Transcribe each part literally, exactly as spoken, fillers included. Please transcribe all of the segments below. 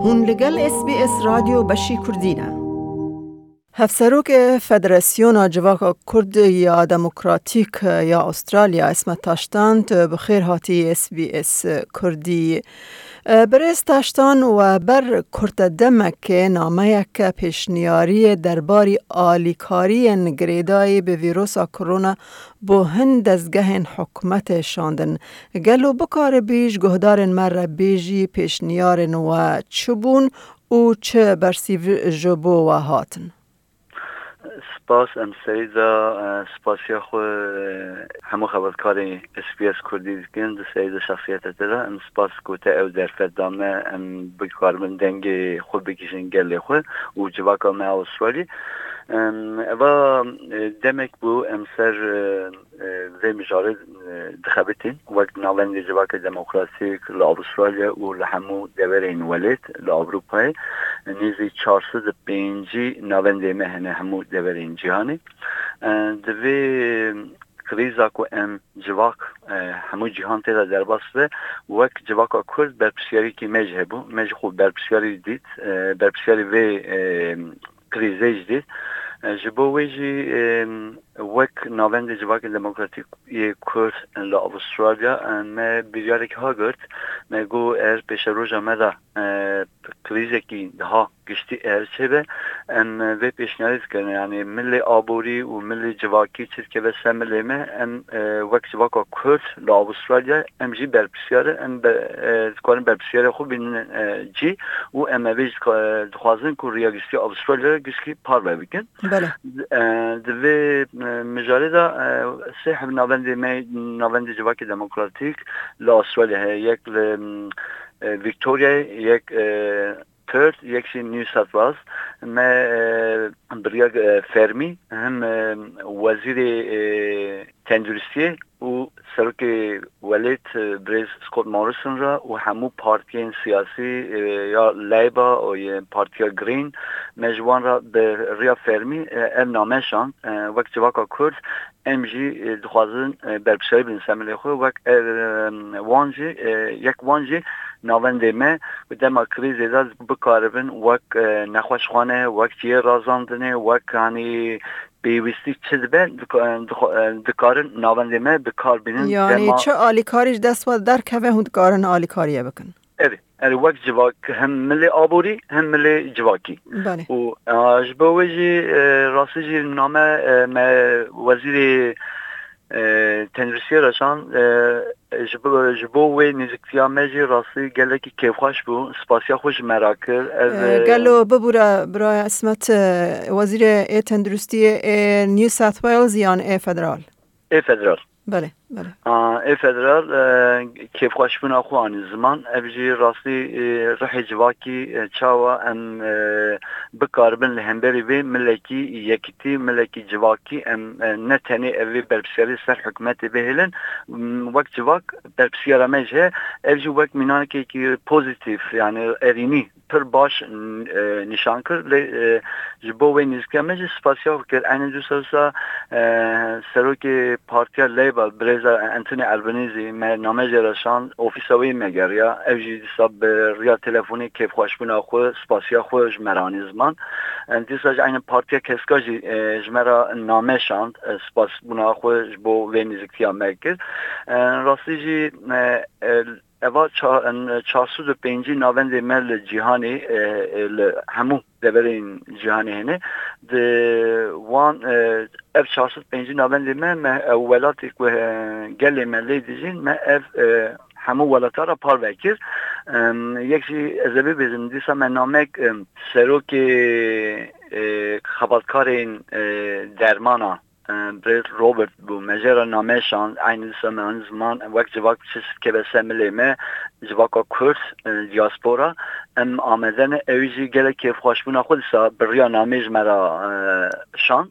Hûn li gel S B S Radyo beşî Kurdî ne. Hevserokê Federasyona Civaka Kurd ya Demokratîk ya Australya, Ismet Taştan, tu bi xêr hatî S B S Kurdî. Birêz Taştan, we ber kurte demekê nameyeke pêşniyariyê derbarî alîkariyên girêdayî bi vîrosa korona bo hin dezgehên hikûmetê şandin. Gelo bikaribî ji guhdarên me re bêjî pêşniyarên we çi bûn û çi bersîv ji bo we hatin? Spas, em serî de, e, spasiya xwe, e, hemû xebatkarê S B S Kurdî dikin, di serî de şexsiyeta te de. Em spas ku te ew derfet da me, em bikaribin dengê xwe bigihîjin gelê xwe û civaka me Awistralî. Em, eva, e, demek bû em ser, e, e, vê mijarê, e, dixebitîn wek Navendê Civakê Demokratîk li Awistralya û li hemû deverên welêt li Ewropayê. Nêzî çar sed û pêncî navendê me hene hemû deverên cîhanê. E, di vê krîza ku em civak, e, hemû cîhan tê de derbas be, wek civaka Kurd berpirsiyarîkî me jî hebû. Me jî xwe berpirsiyarî dît, e, berpirsiyarî vê, e, krîzê jî dît. E, ji bo wê jî, e, wek Navendê Civakê Demokratîk yê Kurd li Awistralya, e, me biryarek ha girt. Me got, er pêşeroja me de, e, krîzekî daha giştî eger çêbe, em vê pêşniyarê dikin. Yanî milê aborî û milê civakî çi dikeve ser milê me, em, e, wek civaka Kurd li Awistralya, em jî berpirsiyar in, em be-, e, dikarin berpirsiyarê xwe bînin, e, cî û em ê vê jî dika-, dixwazin ku riya giştî Awistralya giştî parve bikin. Belê. E, di vê, e, mijarê de, e, sê heb navendê me, navendê Civakê Demokratîk li Awistralya heye. Yek li, e, Victoriayê, yek, e, Perth, yek jî New South Wales. Me, e, bi riya, e, fermî him, e, wezîrê, e, tenduristiyê û serokê welêt, e, birêz Scott Morrison re û hemû partiyên siyasî, e, ya Labour û yê partiya Green, me ji wan re bi riya fermî, e, ev name şand, e, wek civaka Kurd, em jî, e, dixwazin, e, berpirsiyarî bidin ser milê xwe, wek, e, wan jî, e, yek wan jî navendê me, ku dema krîzê de bikaribin wek, e, nexweşxane, wek cihê razandinê, wek, hanî, pêwîstî çi dibe, dika-, dixwe-, dikarin navendê me bi kar bînin. Yanî dema çi alîkarî ji dest we derkeve, hûn dikarin alîkariyê bikin? Erê, erê, wek civak, hem milê aborî, hem milê civakî. Belê. Û, a, ji bo wê jî, e, rastî jî name, e, me wezîrê, e, tenduristiyê re şand, e, ji bo, ji bo wê nêzîktiya me jî rastî gelekî kêfxweş bû. Spasiya xwe ji me re kir. Ev, E, e, gelo bibûre, biraya Ismet, e, wezîrê ê tenduristiyê ê New South Wales yan ê federal? Ê federal. Belê, belê. A, ê federal, e, kêfxweşbûna xwe anî ziman. Ev jî rastî, e, rihê civakî, e, çawa em, e, bikaribin li hemberî vê milekî yekitî, milekî civakî em, e, ne tenê ev vê berpirsiyarî ser hikûmetê bihêlin, m, wek civak berpirsiyara me jî heye. Ev jî wek mînakekî pozîtîf, yani erînî, pir baş, e, nîşan kir. Lê, e, ji bo wê nêzîkiya me jî spasiya xwe kir. Eynî dîsa, e, serokê Partiya Labour, birêza Anthony Albanese, me name jê re şand, ofîsa wê me geriya. Ev jî dîsa bi riya telefonê kêfxweşbûna xwe, spasiya xwe ji me re anî ziman. E, dîsa jî eynî Partiya Keska jî, e, ji me re name şand, e, spasbûna xwe ji bo vê nêzîktiya me kir. E, rastî jî, e, e, Eva ça-, en, çar sed û pêncî navendê me li cîhanê, e, e, li hemû deverên cîhanê hene. Di wan, e, ev çar sed pêncî navendê me, me, e, welatê ku, e, gelê me lê dijîn, me ev, e, hemû welata re parve kir. Em, yek jî ez ê bibêjim, dîsa me namek, em, serokê, e, xebatkarên, e, dermana, e, birêz Robert bû. Me jê re name şand, eynî dîsa me anî ziman, wek civak çi dikeve ser milê me, civaka Kurd, e, diaspora, em amade ne, ew jî gelek kêfxweşbûna xwe dîsa bi riya namê ji me re, e, şand.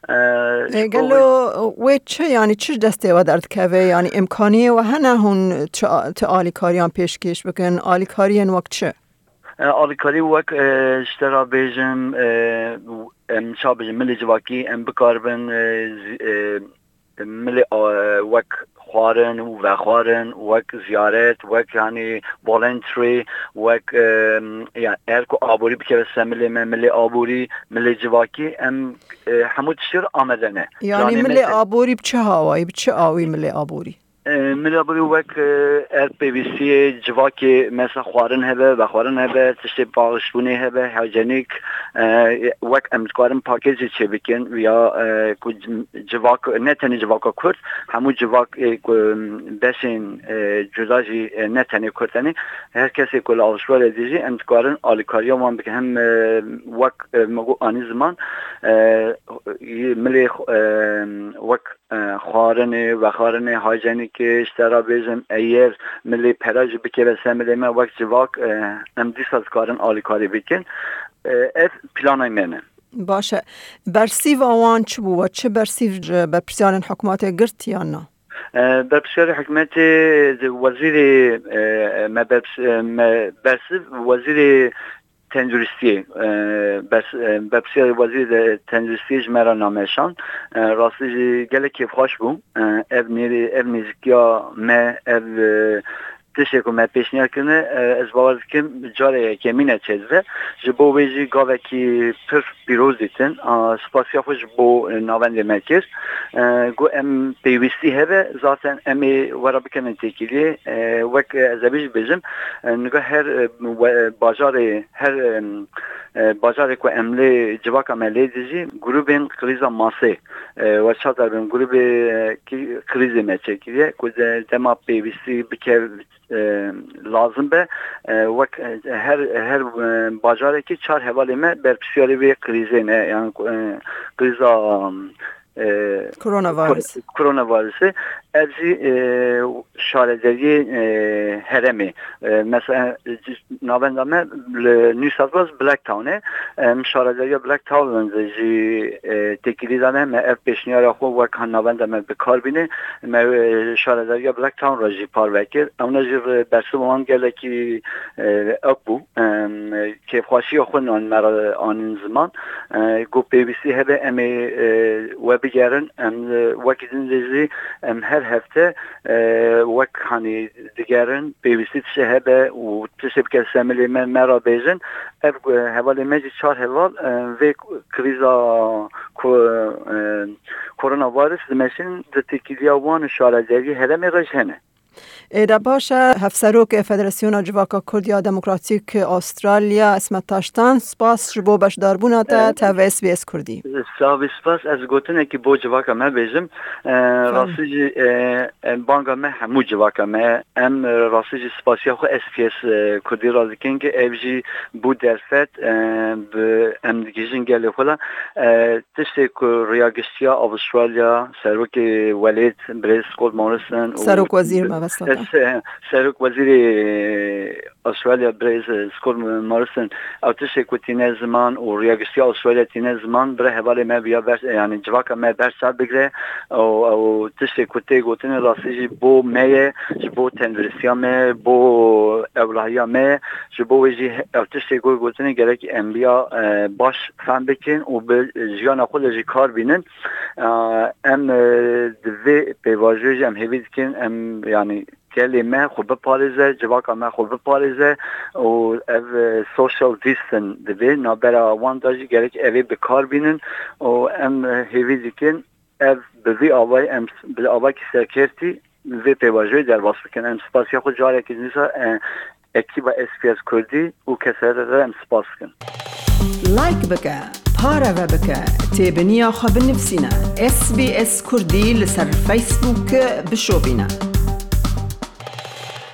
E, E, ji bo gelo wê wê çi, yanî çi ji destê we derdikeve? Yanî îmkaniyê we hene hûn çi a-, ti alîkariyan pêşkêş bikin? Alîkariyên wek çi? E, alîkarî wek, e, ji te re bêjim, e, em ça bêjin, milê civakî em bikaribin, e, zî-, e, milê, e, wek xwarin û vexwarin, wek ziyaret, wek, yanî, voluntary, wek, e, ya, eger ku aborî bikeve ser milê me, milê aborî, milê civakî, em, e, hemû tiştê re amade ne. Yanî planê me milê te- aborî bi çi hawayî, bi çi awî milê aborî? E, milê aborî wek, e, ev pêwîstiyê civakê, mesela xwarin hebe, vexwarin hebe, tiştê paqijbûnê hebe, hijyenîk, e, wek em dikarin pakêjê çêbikin, ya, e, ku c-, civak, ne tenê civaka Kurd, hemû civak, e, ku beşên, e, cuda jî, e, ne tenê Kurd tenê, her kesê ku li Avrupayê dijî, em dikarin alîkariya wan bikin. Hem, e, wek, e, me got anî ziman, e, milê, e, wek, e, xwarinê, vexwarinê, hijyenîkê, ji te re bêjim, eger milê pere jî bikeve ser milê me wek civak, e, em dîsa dikarin alîkarî bikin. E, ev planay me ne. Baş e. Bersîva wan çi bû? We çi bersîv ji berpirsiyarên hikûmetê girt yan na? E, berpirsiyarê hikûmetê, wezîrê, e, me bers-, e, me bersiv, wezîrê tenduristiyê, e, bers-, e, berpirsiyarê wezîrê de tenduristiyê ji me re name şand. E, rastî jî gelek kêfxweş bû. E, ev nêrî, ev nêzîkiya me, ev, e, tiştê ku me pêşniyar kirine, e, ez bawer dikim carê yekemîn e çêdibe. Ji bo wê jî gavekî pir pîroz dîtin. A, spasiya xwe ji bo, e, navendê me kir. E, got em pêwîstî hebe, zaten em ê we re bikevin têkiliyê. E, wek, e, ez ê jî bêjim, e, niga her, e, we-, bajarê, her, e, e, bajarê ku em lê civaka me lê dijî, grûbên krîza masê, e, we çatar bin, grûbê, e, kî-, krîzê me çêkiriye, ku de-, dema pêwîstî bikev-, e, lazim be, e, wek, e, her, her, e, bajarekî çar hevalê me berpirsiyarê vê krîzê ne, yan, e, krîza, e, Coronavirus. Kor-, coronavirusê. Ev jî, e, şaredariyê, e, herêmê. E, mesela, e, navenda me li New South Wales Blacktown e. Em şaredariya Blacktown re jî, e, têkilî dane, me ev pêşniyara xwe wek navenda me bi kar bîne. Me, e, şaredariya Blacktown re jî parve kir. Ewna jî re bersiva wan gelekî, e, ew bû. Em, kêfxweşiya xwe nan me re anîn ziman. E, ku pêwîstî hebe em ê, e, we bigerin. Em, e, wekî din de jî em her hefte, e, wek, hanî, digerin, pêwîstî tiştê hebe û tiştê bike ser milê me, me re bêjin. Ev, e, hevalê me jî çar heval, e, vê krîza ku, e, koronavirus dimeşin, di têkiliya wan û şaredariyê herêmê re jî hene. Ê de baş e, Hevserokê Federasyona Civaka Kurd ya Demokratîk Australya, Esmet Taştan, spas ji bo beşdarbûna te, e, tev S B S Kurdî. Savî spas, ez gotinekî bo civaka me bêjim. E, Fermo. Rastî jî, e, e, banga me hemû civaka me. Em, e, rastî jî spasiya xwe S B S, e, Kurdî re dikin, ki ev jî bû derfet, e, bi em digihîjin gelê xwe la. E, tiştê ku rêya giştî ya Avustralya, serokê welêt, birêz Scott Morrison û Serok Wezîr mebesta te. Se-, Serok Wezîrê Avustralya, birêz Scott Morrison, ew tiştê ku tîne ziman û rêya giştî ya Avustralya tîne ziman, bire hevalê me biya ber, yanî civaka me berçav bigire û ew tiştê ku tê gotinê rastî jî bo me ye, ji bo tenduristiya me, bo ewlahiya me, ji bo wê jî he-, ew tiştê ku gotinê gerek em biya, e, baş fam bikin û bi jiyana xwe de jî kar bînin. E, em, e, di vê pêvajoyê jî em hêvî dikin, em, yanî gelê me xwe biparêze, civaka me xwe biparêze û ev, e, social distance divê navbera wan de jî gerek ev ê bi kar bînin û em, e, hêvî dikin ev bi vî avayî em s-, bi avakî serkêrtî vê pêvajoyê derbas bikin. Em spasiya xwe carekî dîsa, e, ekîba S B S Kurdî û kesere re em spas dikin. Like bike, pareve bike, têbiniya xwe binivîsîne. S B S Kurdî li ser Facebook bişopîne.